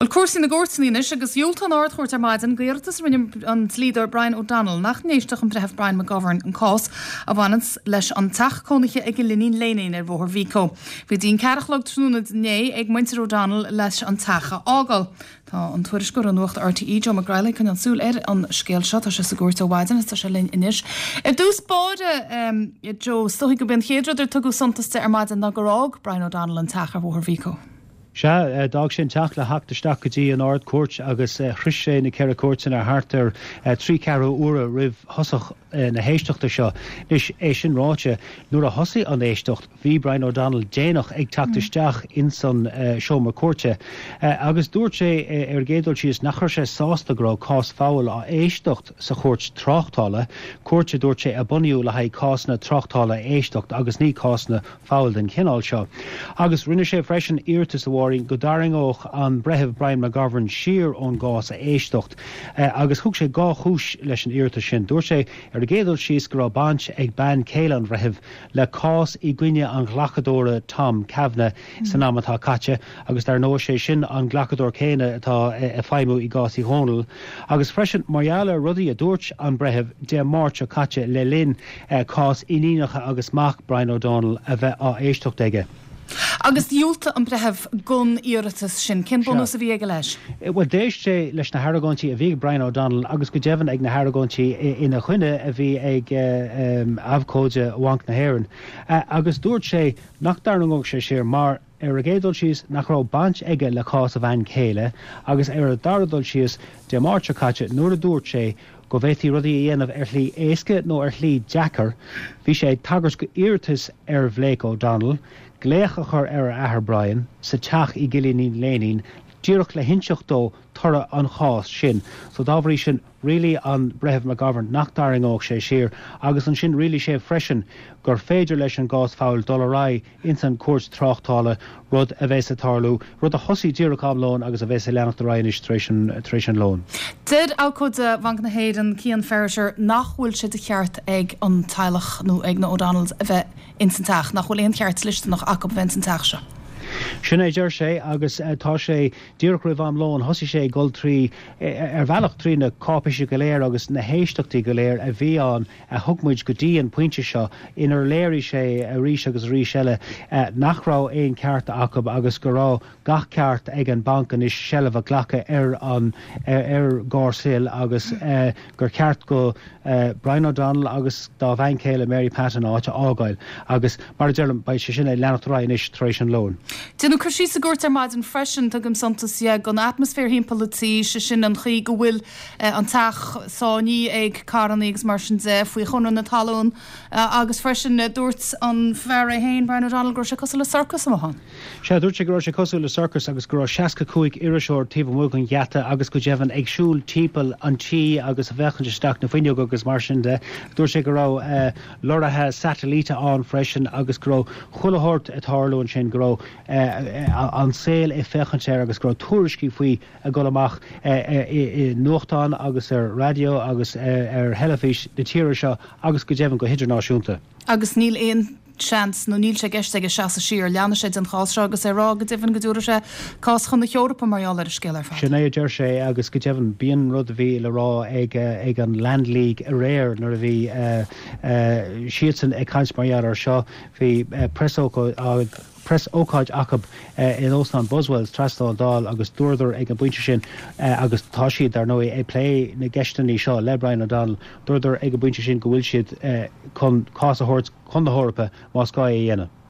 Bhuel, cúrsaí na gcúirteanna anois, agus dhiúltaigh an Ard-Chúirt ar maidin d'iarratas a rinne an dlíodóir Brian O'Donnell nach n-éistfeadh an Breitheamh Brian McGovern an cás a bhaineanns leis an teach cónaithe i gCill Iníon Léinín ar Bhóthar Vico. Bhí dtí an ceathrú a chlog tráthnóna inné ag muintir O'Donnell leis an teach a fhágáil. Tá an tuairisceoir ó Nuacht RTÉ, Joe Mac Greaghlaigh, ag coinneáil súil ar an scéal seo. Tá sé sa gcúirt ó mhaidin agus tá sé linn anois. Ar dtús báire, Joe, is dóigh gurb é an chéad rud ar tugadh suntas de ar maidin ná gur fhág Brian O'Donnell an teach ar Bhóthar Vico. Sea, d'fhág sé an teach le theacht isteach go dtí an Ard-Chúirt agus shroich sé na Ceithre Cúirteanna thart ar thrí ceathrú uaire roimh thosach na héisteachta seo. Anois, é sin ráite, nuair a thosaigh an éisteacht, bhí Brian O'Donnell déanach ag teacht isteach ins an seomra cúirte agus dúirt sé ar an gcéad dul síos nach raibh sé sásta go raibh cás foghail á éisteacht sa chúirt tráchtála, cúirt a dúirt sé a bunaíodh le haghaidh cásanna tráchtála a éisteacht agus ní cásanna foghail den chineál seo. Agus rinne sé freisin iarratas, a Mháirín, go dtarraingeodh an Breitheamh Brian McGovern siar ón gcás a éisteacht. Agus thug sé dhá chúis leis an iarratas sin. Dúirt sé, ar an gcéad dul síos, go raibh baint ag bean chéile an bhreithimh le cás i gcoinne an ghlacadóra Tom Kavanagh san am atá caite, agus dar ndóigh sé sin an glacadóir céanna atá ag feidhmiú i gcás Uí Dhónaill. Agus freisin mar gheall ar rudaí a dúirt an Breitheamh Dé Máirt seo caite le linn cás iníonacha agus mac Brian O'Donnell a bheith á éisteacht aige. Agus dhiúltaigh an Breitheamh don iarratas sin. Cén bunús a bhí aige leis? Bhuel, d'éist sé leis na hargóintí a bhí ag Brian O'Donnell agus go deimhin ag na hargóintí ina choinne a bhí ag abhcóide Bhanc na hÉireann agus dúirt sé nach dtarraingeodh sé siar mar, ar an gcéad dul síos, nach raibh baint aige le cás a bhean chéile agus ar an dara dul síos, Dé Máirt seo caite, nuair a dúirt sé go bhféadfaí rudaí a dhéanamh ar shlí éasca nó ar shlí deacair, bhí sé ag tagairt go iarratas ar Bhlake O'Donnell glaoch a chur ar a athair Brian sa teach i gCill Iníon Léinín díreach le hinseacht dó toradh an chás sin. So dá bhrí sin, rialaigh an Breitheamh McGovern nach dtarraingeodh sé siar agus ansin rialaigh sé freisin gur féidir leis an gcás foghail dul ar aghaidh ins an gcúirt tráchtála, rud a bheas ag tarlú, rud a thosaigh díreach am lóin agus a bheas ag leanacht ar aghaidh anois tar éis an, tar éis an lóin. Deir abhcóide Bhanc na hÉireann, Cian Ferriter, nach bhfuil sé de cheart ag an teaghlach nó ag na O'Donnells a bheith ins an teach, nach bhfuil aon cheart dlisteanach acu a bheith ins an teach seo. Sin é a deir sé agus tá sé díreach roimh am lóin, thosaigh sé ag dul trí, ar bhealach trí na cáipéisí go léir agus na héisteachtaí go léir a bhí ann a thug muid go dtí an pointe seo inar léirigh sé arís agus arís eile nach raibh aon cheart acu agus go raibh gach ceart ag an banc anois seilbh a ghlacadh ar an ar Gharrshill agus gur cheart go Brian O'Donnell agus dá bhean chéile Mary Pat an áit a fhágáil agus mar a deirim beidh sé sin ag leanacht ar aghaidh anois tar éis an lóin. Déanadh cur síos sa gcúirt ar maidin freisin, tugaim suntas dhe, don atmaisféar thimpeall an tí, sé sin an chaoi go bhfuil an teach sáinnithe ag carrannaí agus mar sin de, faoi Chonradh na Talún agus freisin dúirt an fear é féin, Brian O'Donnell, go raibh sé cosúil le sorcas amuigh ann. Sea, dúirt sé go raibh sé cosúil le sorcas agus go raibh 65 iriseoir taobh amuigh den gheata agus go deimhin ag siúl timpeall an tí agus ag féachaint isteach na fuinneoga agus mar sin de. Dúirt sé go raibh lorraithe satailíte ann freisin agus go raibh chuile shórt ag tarlú ansin, go raibh an saol ag féachaint air agus go raibh tuairiscí faoi ag dul amach i nuachtáin agus ar raidió agus ar theilifís na tíre seo agus go deimhin go hidirnáisiúnta. Agus níl aon seans nó níl sé i gceist aige seasamh siar, leanfaidh sé den chás seo agus é ag rá go deimhin go dtabharfaidh sé cás chun na hEorpa mar gheall ar an scéal ar fad. Sin é a deir sé agus go deimhin b'in rud a bhí le rá ag ag an Land League aréir nuair a bhí siadsan ag caint mar gheall air seo. Bhí preasócáid preas-ócáid acu in Óstán Buswells trasna ón Dáil agus dúradar ag an bpointe sin, agus tá siad, dar ndóigh, ag plé na gceisteanna seo le Brian O'Donnell, dúradar ag an bpointe sin go bhfuil siad chun cás a thabhairt chun na hEorpa más gá é a dhéanamh.